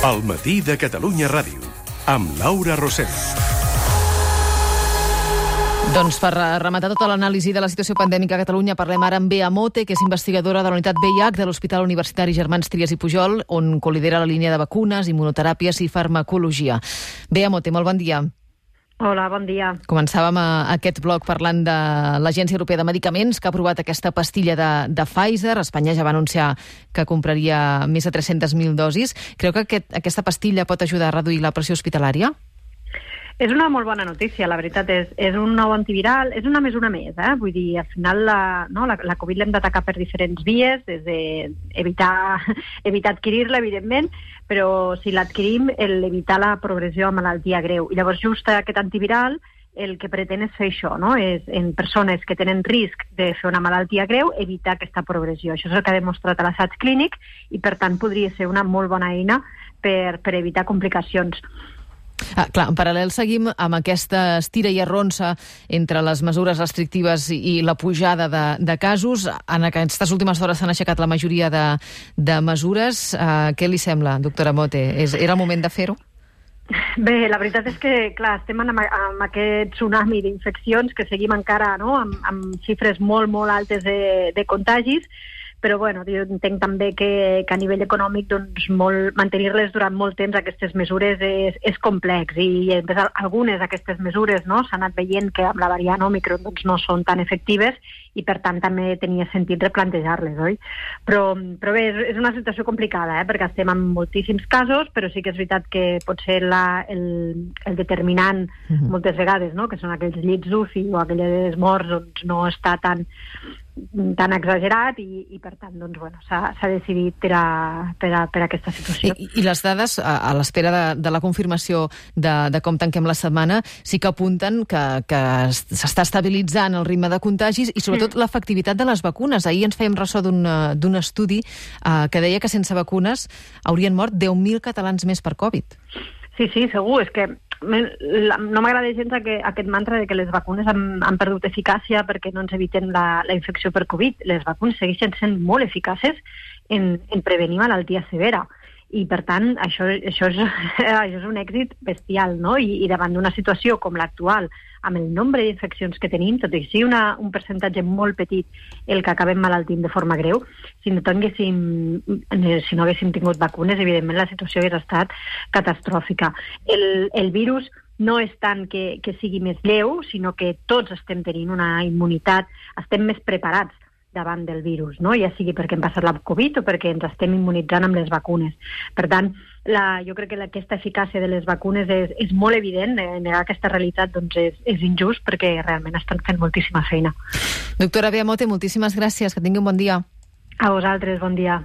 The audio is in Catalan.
El matí de Catalunya Ràdio, amb Laura Rosell. Doncs per rematar tota l'anàlisi de la situació pandèmica a Catalunya, parlem ara amb Bea Mote, que és investigadora de la unitat VIH de l'Hospital Universitari Germans Trias i Pujol, on colidera la línia de vacunes, immunoteràpies i farmacologia. Bea Mote, molt bon dia. Hola, bon dia. Començàvem aquest bloc parlant de l'Agència Europea de Medicaments, que ha aprovat aquesta pastilla de Pfizer. Espanya ja va anunciar que compraria més de 300.000 dosis. Creu que aquesta pastilla pot ajudar a reduir la pressió hospitalària? És una molt bona notícia, la veritat. És un nou antiviral, és una mesura més. Vull dir, al final la Covid l'hem d'atacar per diferents vies, des d'evitar adquirir-la, evidentment, però si l'adquirim, evitar la progressió a malaltia greu. I llavors just aquest antiviral el que pretén és fer això, no? És en persones que tenen risc de fer una malaltia greu, evitar aquesta progressió. Això és el que ha demostrat a l'assaig clínic i, per tant, podria ser una molt bona eina per evitar complicacions. Clar, en paral·lel seguim amb aquesta estira i arronsa entre les mesures restrictives i la pujada de casos. En aquestes últimes hores s'han aixecat la majoria de mesures. Què li sembla, doctora Mote? Era el moment de fer-ho? Bé, la veritat és que, clar, estem amb aquest tsunami d'infeccions que seguim encara, no?, amb xifres molt, molt altes de contagis, però bueno, jo entenc també que a nivell econòmic doncs, mantenir-les durant molt temps, aquestes mesures, és complex, i algunes d'aquestes mesures, no, s'han anat veient que amb la variant Òmicron doncs, no són tan efectives i per tant també tenia sentit replantejar-les, oi? Però bé, és una situació complicada, perquè estem en moltíssims casos, però sí que és veritat que pot ser el determinant moltes vegades, no?, que són aquells llits d'UCI o aquelles morts, doncs no està tan exagerat i per tant doncs, bueno, s'ha decidit per aquesta situació. I les dades, a l'espera de la confirmació de com tanquem la setmana, sí que apunten que s'està estabilitzant el ritme de contagis i sobretot l'efectivitat de les vacunes. Ahir ens fèiem ressò d'un estudi que deia que sense vacunes haurien mort 10.000 catalans més per Covid. Sí, segur, és que no m'agrada gens aquest mantra de que les vacunes han perdut eficàcia perquè no ens eviten la infecció per Covid. Les vacunes segueixen sent molt eficaces en prevenir malaltia severa. I, per tant, això és un èxit bestial, no? I davant d'una situació com l'actual, amb el nombre d'infeccions que tenim, tot i que sigui un percentatge molt petit el que acabem malaltint de forma greu, si no haguéssim tingut vacunes, evidentment la situació hauria estat catastròfica. El virus no és tant que sigui més lleu, sinó que tots estem tenint una immunitat, estem més preparats davant del virus, no? Ja sigui perquè hem passat la Covid o perquè ens estem immunitzant amb les vacunes. Per tant, jo crec que aquesta eficàcia de les vacunes és molt evident. Negar aquesta realitat doncs, és injust perquè realment estan fent moltíssima feina. Doctora Bea Mote, moltíssimes gràcies. Que tingui un bon dia. A vosaltres, bon dia.